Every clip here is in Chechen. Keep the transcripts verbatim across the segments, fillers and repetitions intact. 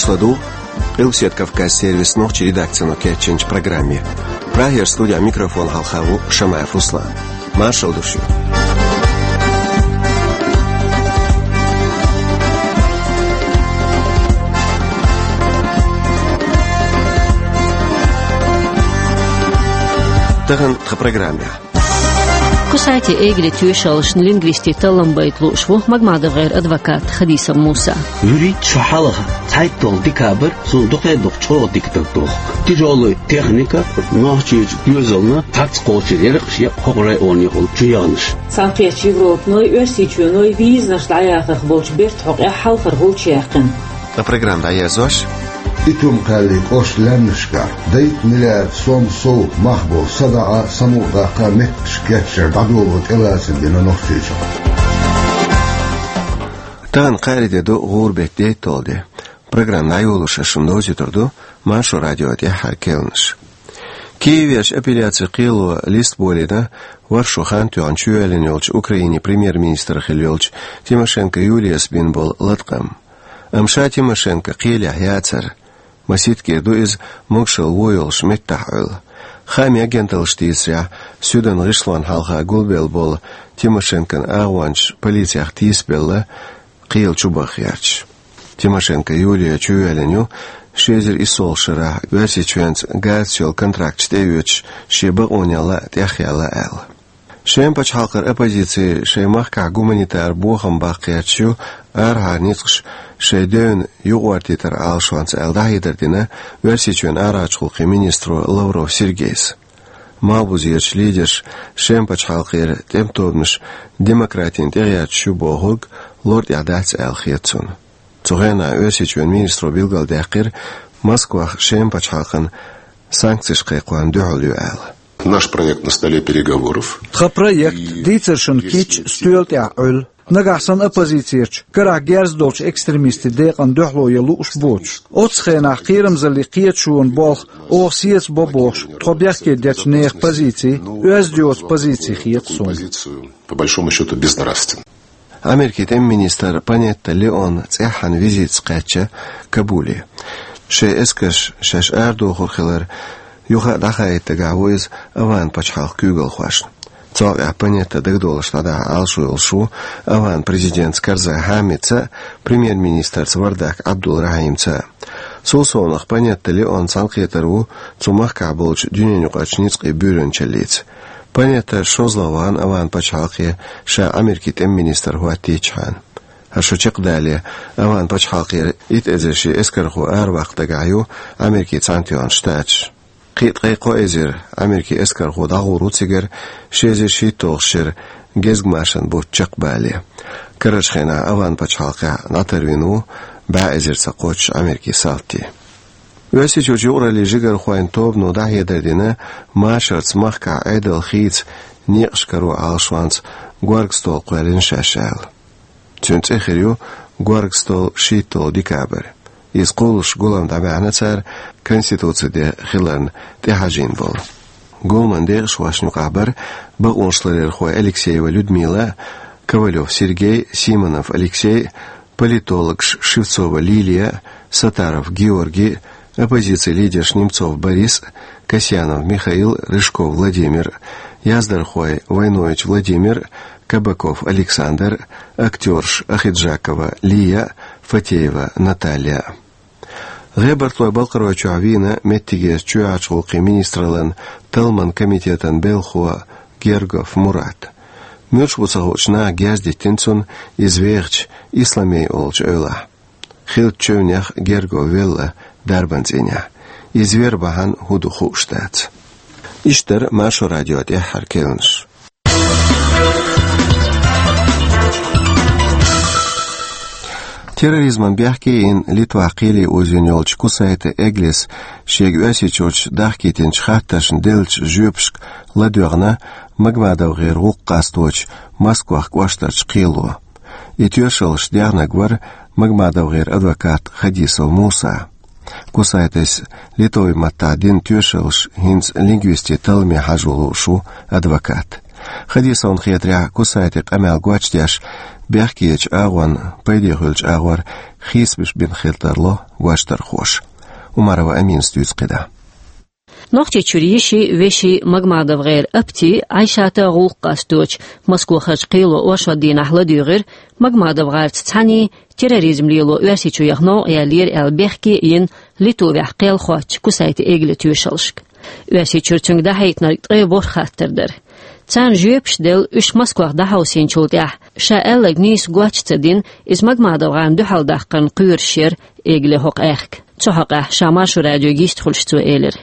Ладу Къилбаседа Кавказ сервисан нохчийн редакцино кечйинчу программе. Прагера студехь микрофон хьалха ву Шамаев Руслан. Маршалла ду шуьга. Тахана тхан программехь. Кусайте Эгле тоьшаллашна лингвистийн таллам байта лууш ву МагмадовгӀеран адвокат Хадисов Муса. ВуьрхӀитта шо хьалха цхьайтталгӀа декабрь суна дукха а дукха чӀогӀа дика дагадоху. Тяжёлая техника, нохчийн доьзална цхьацца кхочур яра-кх шен хӀокху районехула чу яханаш. Цхьаьнакхеттачу Европаной, Оьрсийчоьной визанаш дӀаяхарх болчу бертан хьокъехь хьалхара гӀулч яьккхина. Ткъа программа дӀаерзош. Итум-Кхаьллин кӀоштан лаьмнашкахь дейтта миллиард сом сов мах болу садаӀа, самукъадаккха меттигаш кечъяр дӀадоло тӀелацам бина Нохчийчохь. Тахана кхаарин де ду, гӀуран беттан дейтталгӀа де. Программа дӀайолош ас шуна довзуьйтур ду Маршо радион тӀаьххьара кхаьънаш. Киевехь апелляцин кхело лист болийна ворхӀ шо хан тоьхна чувоьллина йолчу Украинин премьер-министр хилла йолчу Тимошенко Юлияс бина болу латкъам. Амма ша Тимошенко кхелехь яцара. Масийтта кӀира ду иза могушалла вон йолуш меттахь Ӏуьллу. Хаамийн агенталлаша дийцарехь, суьдан гӀишлонна хьалха гулбелла болу Тимошенкон агӀончаш полицех тийсабелла, кхелан чу баха гӀерташ. Тимошенко Юлия чувоьллина ю, ши эзар иссолгӀачу шарахь Оьрсийчоьнца газаца йолу контракташ тӀеоьцуш, шен бакъонех лаьа тӀехъяьлла аьлла. Шеман пачхьалкхера оппозици шайн махкахь гуманитар бохам баккха гӀерташ ю, арахьара ницкъаш шайн девнна юкъаӀоттийтаран Ӏалашонца аьлла дӀахьедар дина Оьрсийчоьнан арахьарчу гӀуллакхийн министро Лавров Сергейс. Малхбузерчу лидерша Шеман пачхьалкхера тӀеман тобанаш демократина тӀегӀерташ ю бохург лар тӀехь дац аьлла хета цунна. Цу хенахь Оьрсийчоьнан министро билгалдаьккхира, Москвах Шеман пачхьалкхана санкцеш кхайкхорна дуьхьал ю аьлла. Наш проект на столе переговоров. Тхан проект, дийцаршна кийча, стоьла тӀехь Ӏуьллу. Нагахь санна оппозицерчу, карахь герз долчу экстремистийн декъана дуьхьало ян лууш боцуш, оццу хенахь кхерамзаллин кхеташонан болх оха сецабо бохуш, тхо бехке дечу нехан позици оьзда йоцу позици хета суна. По большому счёту, безнравственно. Америкин тӀеман министр Панетта Леон цӀеххьана визитаца кхаьчна Кабуле. Шайн эскарш шаьш арадохур хилар юха а дӀахаийта дагахь ву иза АвгӀан-пачхьалкхан куьйгалхошна. Цул тӀаьхьа Панетта дагадовлуш дӀадахьа Ӏалашо йолуш ву АвгӀан президентца Карзай Хьамидца а, премьер-министрца Вардак Ӏабдул-Рахьимца а. Цул совнаха Панетта Леон цхьаьнакхетар ву цу махкахь болчу дуьненан юкъарчу ницкъийн буьйранчаллица. Панетта шозлагӀа вахана АвгӀан-пачхьалкхе, ша Америкин тӀеман министр хӀоттийчхьана. ХӀара шо чекхдале, АвгӀан-пачхьалкхера итт эзар шен эскархо араваккха дагахь ю Америкин Цхьаьнатоьхна Штаташ. Кхин а ткъе кхо эзар Америкин эскархо дӀагӀур ву цигара, ши эзар шийтталгӀачу шеран гезгмашан бутт чекхбале. Карарчу хенахь АвгӀан-пачхьалкхехь дӀатарвина ву бӀе эзарца кхоччуш Америкин салти. Оьрсийчуьрчу юкъараллин жигархойн тобано дӀахьедар дина машарца махкахь Ӏедалан хийца некъаш каро Ӏалашонца горга стол кхоьллина шаьш аьлла. Цуьнан цӀе хир ю горга стол шийтталгӀа декабрь. Иза кхуллуш гулам дӀабаьхьна цара Конституцин де хиларна тӀехьажийна болу. Гуламан декъашхошна юкъахь бара бакъонашларъярхой Алексеева Людмила а, Ковалёв Сергей, Симонов Алексей, политологаш Шевцова Лилия, Сатаров Георгий, оппозицин лидерш Немцов Борис, Касьянов Михаил, Рыжков Владимир, яздархой Войнович Владимир, Кабаков Александр, актёрш Ахиджакова Лия, Фатеева Наталья. ГӀебартхойн Балкхаройчохь вийна меттигерчу чоьхьарчу гӀуллакхийн министраллан талламан комитетан белхо Гергов Мурат. Муьлш бу ца хуучу наха герз диттина цунна иза вехачу Исламей олучу эвлахь. Хиллачу чевнех Гергов велла дарбан цӀийнехь. Иза вер бахьана хӀун ду хууш дац. Иштта дара Маршо радион тӀаьххьара кхаьънаш. Терроризман бехке йина Литвахь кхеле озийна йолчу Кусайте Эглес шега Оьрсийчуьрчу дахкийтинчу хаттаршна деллачу жоьпашка ладоьгӀна МагмадовгӀеран гӀуллакх къасточу Москвах кӀоштарчу кхело. И тоьшаллаш дехнарг вара МагмадовгӀеран адвокат Хадисов Муса. Кусайтес литовски маттахь дина тоьшаллаш хӀинца лингвистийн талламе хьажо лууш ву адвокат. Хадисовна хетарехь, Кусайте къамел гочдеш, бехкечу агӀонна пайде хуьлучу агӀор хийцабеш бина хила тарлу ваштархоша. Умарова Аминас дуьйцу кхидӀа. Нохчийчуьра йиши, веши МагмадовгӀера Апти, Ӏайшата гӀуллакх къасточу Москвахарчу кхело оршот дийнахь ладуьйгӀира МагмадовгӀарца цхьаьний терроризм лело Оьрсийчу яха новкъа яьллера аьлла бехке а йина, Литвахь кхел хоттучу Кусайте Эгли тоьшаллашка. Оьрсийчуьра цуьнга дӀахьийтинарг ткъе ворхӀ хаттар дара. Царна жоьпаш делла, уьш Москвах дӀахьовсийначул тӀаьхьа, ша аьлларг нийса гоч а ца дина, иза МагмадовгӀарна дуьхьал даккхарна кхоьруш яра Эгли хӀокху аьхка. Цу хьокъехь ша Маршо радиога йистхуьлуш цо элира: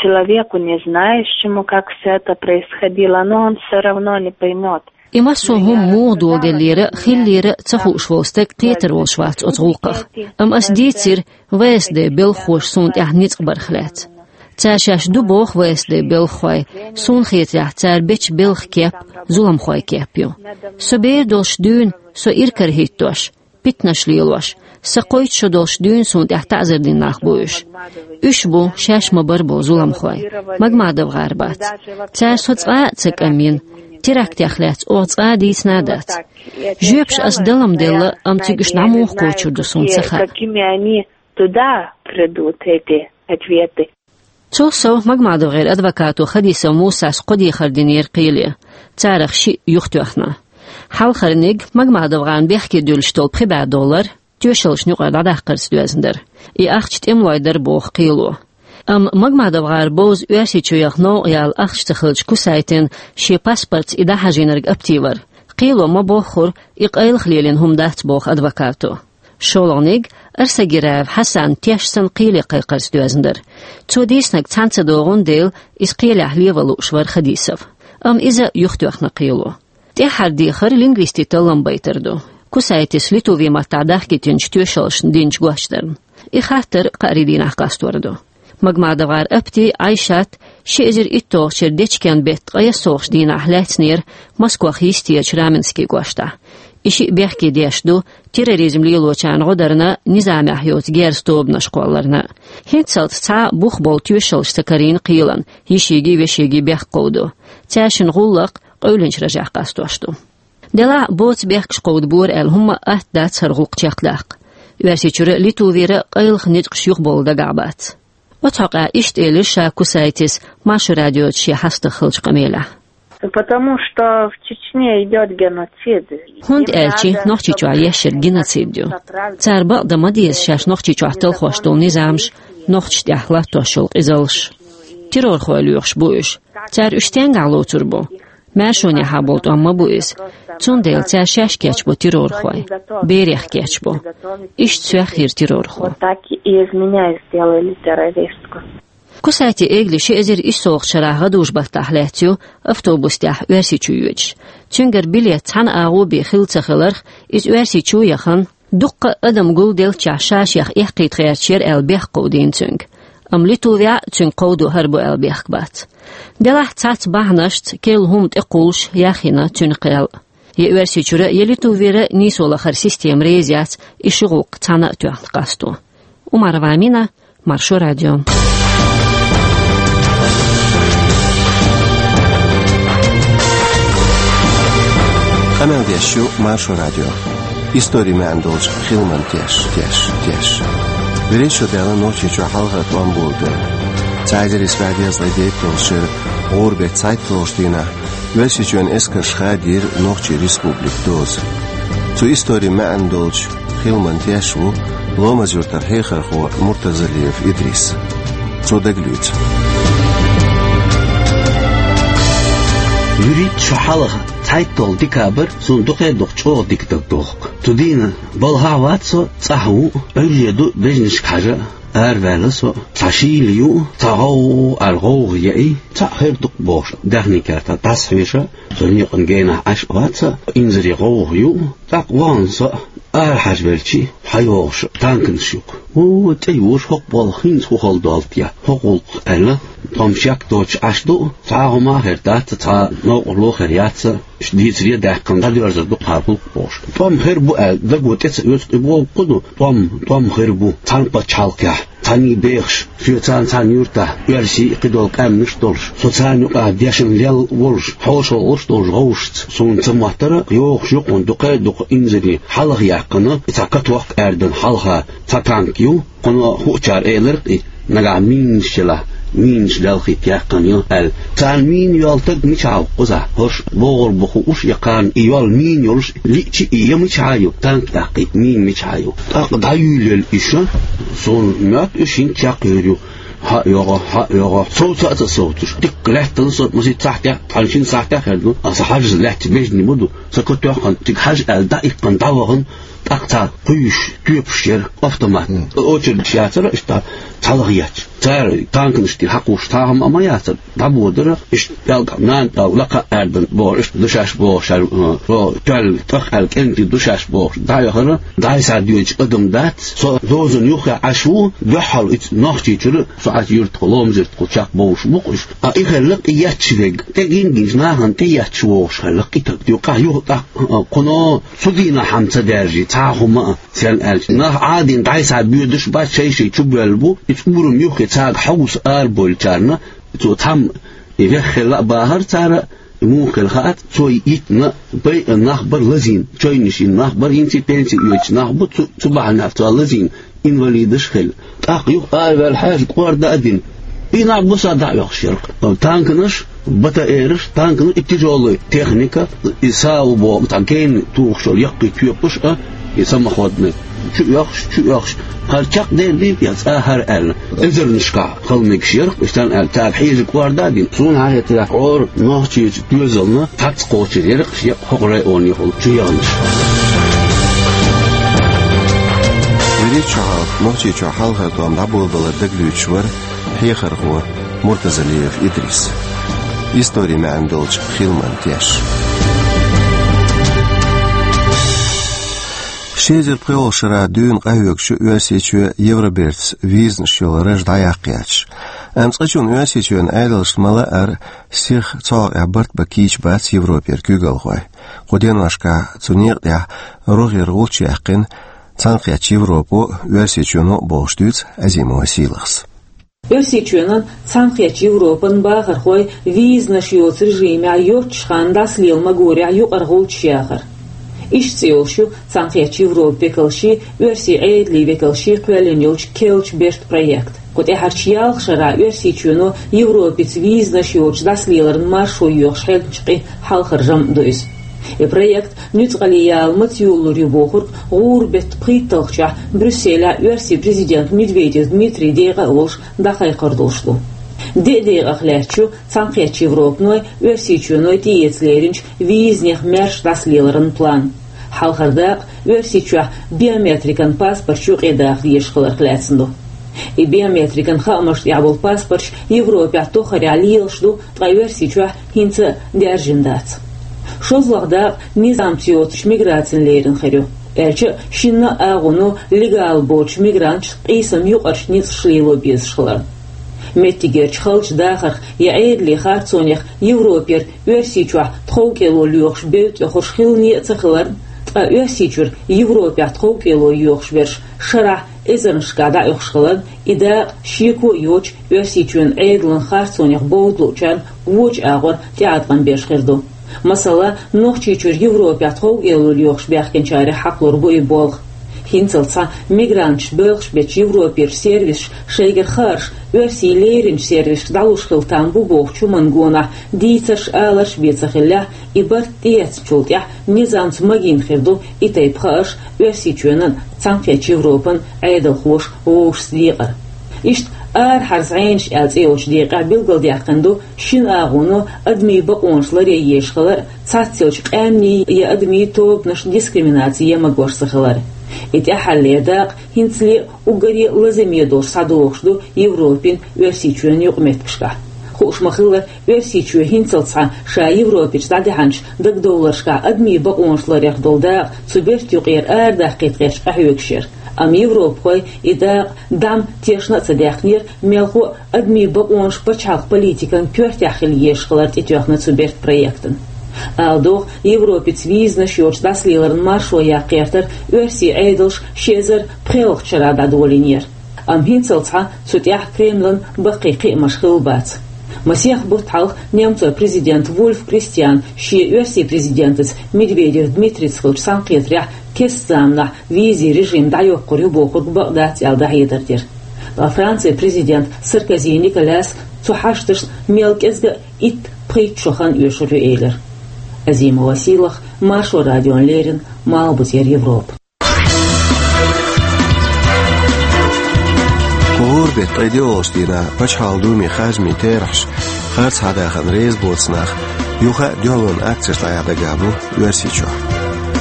Человеку, не знающему, как всё это происходило, но он всё равно не поймёт. И массо а хӀума муха доладеллера а, хиллера а ца хууш волу стаг кхетар волуш вац оцу гӀуллакхах. Амма ас дийцира В С Д белхахоша суна тӀехь ницкъ барх лаьцна. Цара шаьш ду боху В С Д белхахой, суна хетарехь, цара бечу белхан кеп зуламхойн кеп ю. Со бер долуш дуьйна, со иракарахӀиттош, питанаш лелош, сан кхойтта шо долуш дуьйна суна тӀехь таӀзар дина нах бу уьш. Уьш бу шаьш ма-барра болу зуламхой, МагмадовгӀар бац. Цара со цкъа а ца кӀамйина, терактех лаьцна оха цкъа а дийцина а дац. Жоьпаш ас дала-м делла, амма цига уьш дӀа муха кхочур ду суна ца хаьа. Какими они туда придут, эти ответы? Цул сов МагмадовгӀеран адвокато Хадисов Мусас кхо дехар динера кхеле, царах шиъ юхатоьхна. Хьалхарниг МагмадовгӀарна бехке дуьллуш долу пхи бӀе доллар, тоьшаллашна юкъара дӀадаккхарца доьзна дара. И ахча тӀемалойн дара боху кхело. Амма МагмадовгӀар бовза Оьрсийчу яха новкъа яла ахча ца хилча Кусайтина шен паспортца и дӀахьажийнарг Апти вара. Кхело ма-боххура, и къайлаха лелийна хӀума дац боху адвокато. ШолгӀаниг Арсагираев Хьасан теш санна кхеле кхайкхарца доьзна дара. Цо дийцинарг цхьаьна ца догӀун дела, иза кхелехь леван лууш вара Хадисов. Амма иза юхатоьхна кхело. ТӀаьххьара дехар лингвистийн таллам байтар ду. Кусайтис Литвин маттахь дахкийтинчу тоьшаллашна динчу гочдарна. И хаттар кхаарин дийнахь къастор ду. МагмадовгӀар Апти, Ӏайшат ши эзар итталгӀачу шеран дечкен беттан ткъе ялхалгӀачу дийнахь лаьцнера Москвах йистерчу Раменский кӀоштахь. И шиъ бехке деш ду терроризм лелочарна гӀо дарна, низамехь йоцу герза тобанаш кхолларна. ХӀинццалц цхьа а бух болу тоьшаллаш ца карийна кхелан йишигийн, вешигийн бехк кховдо. Цаьршиннан гӀуллакх къевлинчу ражех къастош ду. Делахь а боцу бехкаш кховдабора аьлла хӀумма а атта дац хӀара гӀуллакх чекхдаккха. Оьрсийчуьра а, Литвера а къайлаха ницкъаш юхабовла дагахь бац. Оцу хьокъехь иштта элира ша Кусайтис Маршо радиоца шен хьастагӀа хиллачу къамелехь. Потому что в Чечне идёт геноцид. ХӀунда аьлча Нохчийчохь еш йерг геноцид ю. Цара бакъдан ма деза шаьш Нохчийчохь талхош долу низамаш, нохчашна тӀехь латтош йолу къизаллаш. Террорхой лоьхуш бу уьш. Цара уьш стенгахь лоцур бу? Маьршонехьа болу тӀом ма бу иза. Цундела цара шаьш кечбо террорхой, берех кечбо. Иштта цох йира террорхо. Вот так и из меня сделали террористку. Кусайте Эгли ши эзар иссалгӀачу шарахь гӀадужу-баттахь лаьцна ю автобус тӀехь Оьрсийчу йоьдуш. Цуьнгара билет цхьана агӀо бен хилла ца хиларх, иза Оьрсийчу яхана, дуккха а адам гулделлачохь ша-шех эккхийта гӀерташ яра аьлла бехк кховдийна цуьнга. Амма Литвехь а цуьнга кховдо хӀара бу аьлла бехк бац. Делахь цхьацца бахьанашца керла хӀума тӀекхуллуш яхйина цуьнан кхел. Я Оьрсийчуьра, я Литвера нийсо лахара система реза яц и ши гӀуллакх цхьаьна а тоьхна къасто. Умарова Амина, Маршо радио. Къамел деш ю Маршо радио. Историн маьӀна долчу хиламан теш, теш, теш. Берриш а даьлла Нохчийчохь хьалхара тӀом болабелла. Цхьа эзар исс бӀе дезткъе дейтталгӀачу шеран гӀуран беттан цхьайтталгӀачу дийнахь Оьрсийчоьнан эскарша хадийра Нохчийн республикан доза. Цу историн маьӀна долчу хиламан теш ву Ломаз-Юьртара хьехархо Муртазалиев Идрис. Цо дагалоьцу. ВуьрхӀитта шо хьалха, цхьайтталгӀа декабрь, суна дукха а дукха чӀогӀа дика дагадоху. Цу дийнахь балхахь вац со, цӀахь ву, Ӏуьлле ду бежнашка хьажа, араваьлла со, цхьа шийла ю, цхьа гӀовгӀа аьлла гӀовгӀа яи, цхьаъ хир ду-кх бохуш, даьхнийн кертахь дӀасахьоьжуш, со некъан генахь Ӏаш а вац со, инзаре гӀовгӀа ю, тӀаккха вахана со, арахьажа велчи, хьайогӀуш танканаш ю-кх. О, тӀе йоьдуш хӀокху балха хӀинца хӀун хала доллу те, хӀокху гӀуллакха аьлла, тхо-м шек доцуш Ӏаш ду, цхьа а хӀума хир дац, цхьа новкъарло хир яц, уьш дийцаре а даьккхина, дӀадоьрзур ду-кх хӀара гӀуллакх бохуш. ТӀом хир бу аьлла, даго тӀе ца оьцу, и бохург хӀун ду, тӀом, тӀом хир бу, цхьана пачхьалкхехь, Къаьнний бехаш, соьца цхьана юьртахь оьрсий а, кхидолу къаьмнаш а долуш, со царна юкъахь дешна лелла а волуш, хьошалгӀа а долуш гӀовшашца, суна ца моттара, йогӀуш юкъана дукха а дукха инзаре хьалха яьккхина, и цхьа каток аьрдина хьалха цхьа танк ю, кхуьнан хуучара элира-кх и, нагахь минаш елахь, минаш лелхийта яьккхина ю аьлла. Царна мина йолу стаг мичахь ву кхузахь? ХӀорш богӀур бу хууш, я кхарна и йолу мина йолуш лиъча, и я мичахь ю, танк тӀаккха и мина мичахь ю? ТӀаккха дӀаюьйлаелла иша, суна моьтту, уьш хӀинца чекхйийр ю. Хьа а йогӀу, хьа а йогӀу, совца а ца совцуш. Дикка лаьттана со, масийтта сахьтехь, цхьана шина сахьтехь хир ду. Аса хьажаза лаьтташ бежнаш ма ду. Сан катоьхна, цига хьажа аьлла, дӀаиккхина, дӀавахана, тӀаккха цхьа кхуьйсуш, тоьпаш яра автомат. Очередаш яцара, иштта цхьалха етташ. Цара танканаш тӀера хьакхуьйсуш цхьа хӀума а ма яцара, дӀабодара, иштта пӀелг нана пӀелг лакха а аьрдина бохуш, иштта ду шаьш бохуш, ша, э, со тоьлла тӀах аьлла кӀентий ду шаьш бохуш, дӀаяхара, дӀай-схьай доьдучу адам дац, со дозанна юххе Ӏаш ву, дуьххьал иза Нохчийчуьра, со Ӏачу юьртахула, Ломза-Юьртахула чекхбовлуш бу-кх уьш. Ткъа и хилларг и етташ верг, тӀе гина-гина нахана тӀе етташ вогӀуш хилларг и стаг. Юкъахь юха тӀаккха, э, кхуьнан цу дийнахь хӀума ца даьржий, цхьа а хӀума а. Сенна аьлча, нах Ӏадийна дӀай-схьай боьдуш бац, шай-шай чу боьлла бу, иза урам юххе цаьрга хьовса арабевллачарна, цо цхьамма и вехха хилла а бахара цара, и муха хилла хаац, цо йитина, байъина нах бара лазийна, чойнаш йина нах бара, хӀинца пенси оьцуш нах бу, цу, цу бахьанехь цо лазийна, инвалидаш а хилла. ТӀаккха юха араваьлла хьаьжа кӀорда а дина, и нах буса дӀа а оьхуш яра-кх. Танканаш, БТР-аш, танканаш, и тяжёлая техника, и САУ боху, цхьа генна тухуш йолу яккхий тоьпаш а, и самоходный, чу оьхуш, чу оьхуш, хӀара чекхдевлла дийна я цкъа хӀара аьлла, эзарнашкахь хала мегаш яра-кх, иштта аьлла, цара хьежа кӀорда а дина. Суна хьахетарехь, хӀора Нохчийчу доьзална цхьацца кхочур яра-кх шен хӀокху районехула чу яханаш. ВуьрхӀитта шо хьалха Нохчийчохь хьалхара тӀом дӀаболабалар дагалоьцуш вара хьехархо Муртазалиев Идрис. Историн маьӀна долчу хиламан теш. Ши эзар пхоьалгӀачу шарахь дуьйна къахьоьгучу Оьрсийчоь Евробертаца визанаш йолу раж дӀаяккха яц. Амма цкъачунна Оьрсийчоьнан Ӏедалшна ма-лаъара сиха цу хьокъехь барт бан кийча бац Европера куьйгалхой. Кху деношкахь цу некъа тӀехь рогӀера гӀулч яьккхина Цхьаьнакхеттачу Европо а, Оьрсийчоьно а бохуш дуьйцу Азимова Сийлахьас. Оьрсийчоьнан, Цхьаьнакхеттачу Европан бахархой визанаш йоцу режимехь йоццуш ханна дӀасалела магорехь юкъара гӀулчаш яхар. Иштта цӀе йолуш ю Цхьаьнакхеттачу Европан векалший, оьрсийн Ӏедалийн векалший кхоьллина йолчу керлачу бертан проект. Кху тӀаьхьарчу ялх шарахь Оьрсийчоьно Европица визанаш йоцуш дӀасалеларан маршо йоьхуш хьегначу къин хьалхара жамӀ ду иза. И проект нуьцкъала яла маца йолалур ю бохург гӀуран беттан пхийтталгӀачохь Брюсселехь оьрсийн президент Медведев Дмитрий декъа а волуш дӀакхайкхор долуш ду. Деа декъах лаьтташ ю Цхьаьнакхеттачу Европаной, Оьрсийчоьной тӀеэца леринчу визанех маьрша дӀасалеларан план. Хьалхара дакъа Оьрсийчохь биометрикан паспорташ юкъадаха дезаш хиларх лаьцна ду. И биометрикан хаамашна тӀехь болу паспорташ Европехь тоххарехь лелаш ду, ткъа Оьрсийчохь хӀинца а даьржина дац. ШозлагӀа дакъа низамца йоцучу миграцина лерина хир ю. Аьлча а, шинна а агӀоно легал боцучу мигранташна къийсам юкъарчу ницкъаша лело безаш хиларна. Меттигерчу халчу дахарх я Ӏедалийн харцонех Европера Оьрсийчохь тховкӀело лоьхуш бевдда тӀехуш хилане а ца хиларна, ткъа Оьрсийчуьра Европехь тховкӀело йоьхуш берш шарахь эзарнашкахь дӀаоьхуш хиларна, и дакъа шеко а йоцуш Оьрсийчоьнан Ӏедалан харцонех бовда луучарна вочу агӀор тӀеӀаткъам беш хир ду. Масала, Нохчийчуьра Европехь тховкӀело лоьхуш баьхкинчарех хьакхалур бу и болх. ХӀинцалц цхьа мигранташ боьлхуш бечу Европерчу сервисаша шайгара хаарш оьрсийн леринчу сервисашка дӀалуш хила там бу бохучу хӀуманна гонах дийцарш, аларш бен ца хиллехь, и барт тӀеэцначул тӀаьхьа низамца магийна хир ду и тайпа хаарш Оьрсийчоьнан, Цхьаьнакхеттачу Европан Ӏедалхоша вовшашца декъар. Иштта арахьара зӀенаш аьлла цӀе йолчу декъехь билгалдаьккхина ду шина агӀоно адамийн бакъонаш ларъян езаш хилар а, цхьаццайолчу къаьмнийн я адамийн тобанашна дискриминаци ян магош ца хилар а. И тӀаьххьарлера дакъа хӀинцале а уггаре а лазаме долуш схьадогӀуш ду Европин, Оьрсийчоьнан юкъаметтигашкахь. Хууш ма-хиллара, Оьрсийчоь хӀинцалц схьа ша Европерчу дӀадахьанчу дагадовларшкахь адамийн бакъонаш ларъярх долу дакъа цу бертан юкъера арадаккхийта гӀерташ къахьоьгуш яра. Амма европахой и дакъа дӀа-м тешна а ца даьхкинера, мелхо а адамийн бакъонаш пачхьалкхан политикан коьртехь хила езаш хилар тӀетоьхна цу бертан проектана. Ала догӀу, Европица визанаш йоцуш дӀасалеларан маршо яккха гӀертар оьрсийн Ӏедалша ши эзар пхоьалгӀачу шарахь дӀадолийнера. Амма хӀинццалц хьа цу тӀехь Кремлан баккхий кхиамаш хилла бац. Масех бутт хьалха немцойн президент Вульф Кристиан шен оьрсийн президентаца Медведев Дмитрийца хиллачу цхьаьнакхетарехь кеста заманахь визийн режим дӀайоккхур ю бохург бакъ дац аьлла дӀахьедар дира. Ткъа Францин президент Саркози Николяс цу хьашташна мел кӀезга а итт-пхийтта шо хан оьшур ю элира. Азимова Сийлаха, Маршо радиона леррина, Малхбузера Европа. Кху гӀуран беттан ткъе доьалгӀачу дийнахь Пачхьалкхан Думин харжамийн терахьаш, харц хьадахарна реза боцу нах юха а дуьхьалонан акцеш дӀаяхьа дагахь бу Оьрсийчохь.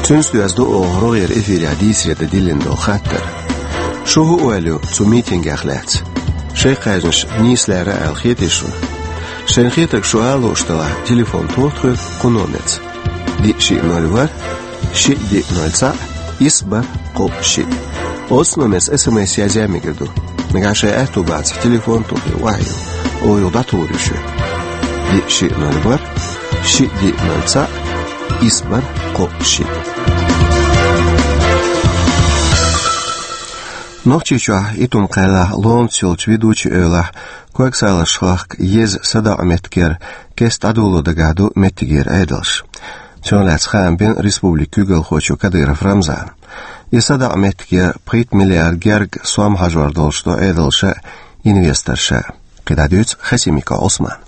Цуьнца доьзна ду оха рогӀера эфирехь дийцаре дан диллина долу хаттар. Шу хӀун ойла ю цу митингех лаьцна? Шайн кхаьжнаш нийса лаьрра аьлла хетий шуна? Шайна хетарг шу ала лууш делахь, телефон тоха тхоьга кху номерца: диъ шиъ ноль ворхӀ, шиъ диъ ноль цхьаъ, исс бархӀ кхоъ шиъ. Оцу номерца СМС язъян мегар ду. Нагахь шайн аьтту бацахь, телефон тухий, охьайо, оха юха дӀатухур ю шуьга. Диъ шиъ ноль ворхӀ, шиъ диъ ноль цхьаъ, исс бархӀ кхоъ шиъ. Нохчийчохь Итум-Кхаьллахь ломаца йолчу Ведучи эвлахь, Когсалаш хахка еза садоӀу меттигера кеста дӀадоло дагахь ду меттигера Ӏедалш. Цунах лаьцна хаам бина республикан куьйгалхочо Кадыров Рамзана. И садоӀу меттигера пхийтта миллиард герга сом хьажор долуш ду Ӏедалша а, инвесторша а. КхидӀа дуьйцу Хасимиков Ӏусмана.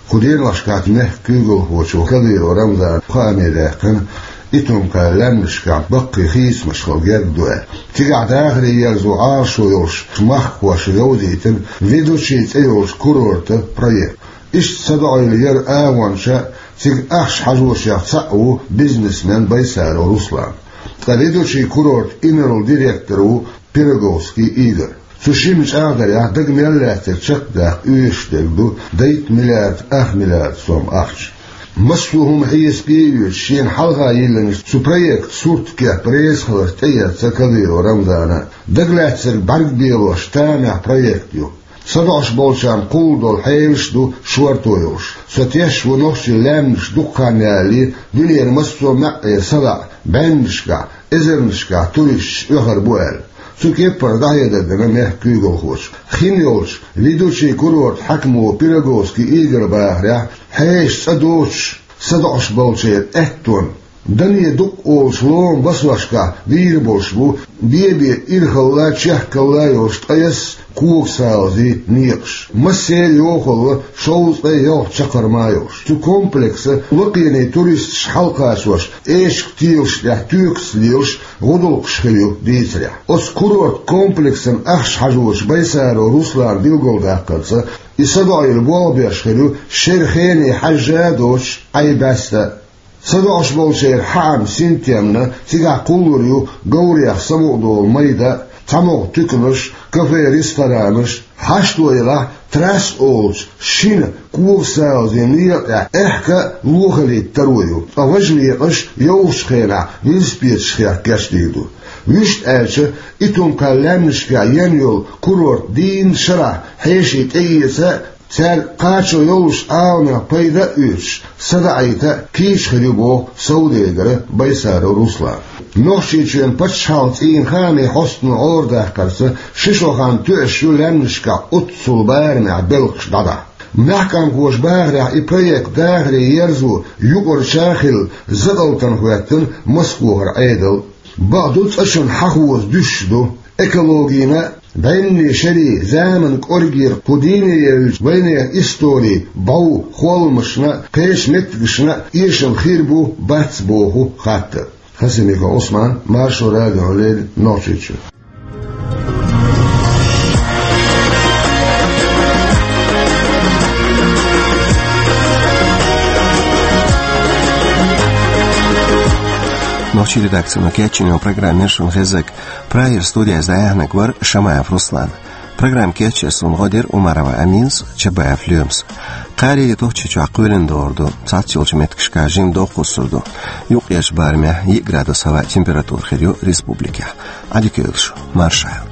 Кху деношкахь мехкан куьйгалхочо Кадыров Рамзана хааме даьккхина Итум-Кхаьллахь лаьмнашкахь баккхий хийцамаш хила герга ду аьлла. Цигахь дахаре ерзо Ӏалашо йолуш махкахошна йовзийтина Ведучи цӀе йолчу курортан проект. Иштта садоӀийла яран агӀончех, цига ахча хьажошех цхьаъ ву бизнесмен Байсаров Руслан. Ткъа Ведучи курортан инарла директор ву Пироговский Игорь. Цу шина чӀагӀдарехь, дага мел лаьцнарг чекхдаккха оьшуш дерг ду дейтта миллиард ах миллиард сом ахча. Массо а хӀума хьесапе а оьцуш, шена хьалха йиллинчу цу проектан сурт кеп резахиларца тӀеэцна Кадыров Рамзана. Дагалаьцнарг бӀаьрг белош тамехь проект ю. СадоӀуш болчарна кхуллу долу хьелаш а ду шорто йолуш. Со тешаш ву нохчийн лаьмнаш дукха хан ялале дуьненан массо а маьӀӀера садоӀу бӀеннашкахь, эзарнашкахь туристаш оьхур бу аьлла. Цу кеппара дӀахьедар дина мехкан куьйгалхочо. Хин йолчу Ведучи курортан хьаькамо Пироговский Игорь бахарехь, хьешан цӀа доцуш садоӀуш болчеран аьттонна, дане дукъ олучу ломан басошкахь вийр болуш бу бе-бе ирхалла, чехкалла йолуш ткъайесна когасалазийн некъаш. Массеран йохалла шовзткъе ялх чаккхарма йолуш. Цу комплексан лакхене туристаш хьалакхачош, эшаран телаш тӀехь туькаца лелаш гӀудалкхаш хир ю дийцарехь. Оцу курорт комплексан ахча хьажочу Байсаров Руслана билгалдаккхарца, и садоӀийла болх беш хир ю шеран хене хьаьжжа а доцуш, Ӏай баьста а. СадоӀуш болчеран хьаам синтемна, цигахь кхуллур ю говрех самукъадолу майда, цхьамогӀа туьканаш, кафе-ресторанаш. Хьашто елахь, трасса олучу шина когасалазийн некъа тӀехь аьхка а лохаллийтта таро ю, ткъа важа некъаш йовхачу хенахь велосипедашкахь кечдийр ду. Вуьшта аьлча, Итум-Кхаьллахь лаьмнашкахь йина йолу курорт дийнна шарахь хьеший тӀеэца а, цаьрга кхачо йолуш Ӏаламех пайда а оьцуш, садаӀийта а кийча хир ю, боху совдегара Байсаров Руслана. Нохчийчоьнан пачхьалкхан цӀийнан хаамийн хьостано Ӏорадаккхарца, ши шо хан тоьуш ю лаьмнашкахь оццул барамехь белхаш дӀадахьа. Маьхкамхоша бахарехь, и проект дахаре ерзо юкъарча а хилла, закъалтана хӀоьттина Москвахара Ӏедал. Бакъду, цӀа чунна хьахоза дуьсуш ду. Экологина а, бӀеннийн шерийн, заманан кӀоргера кху дийне евллачу вайнехан историн бӀов, холмашна а, кхечу меттигашна а эшам хир бу, бац боху хаттар. Хасимиков Ӏусман, Маршо радиона леррина, Нохчийчоь. Нохчийн редакцино кечйина программа яра шуна хезнарг. Прагера студиехь дӀаяьхьнарг вара Шамаев Руслан. Программа кечъеш суна гӀо дира Умарова Аминас, Чабаев Лоьмас. Кхаарин а Нохчийчохь кхоьлина догӀур ду, цхьацца йолчу меттигашкахь жимма догӀа кхуссур ду. Юккъерчу барамехь йиъ градус хӀаваан температура хир ю республикехь. Ӏадика йойла шу, марша.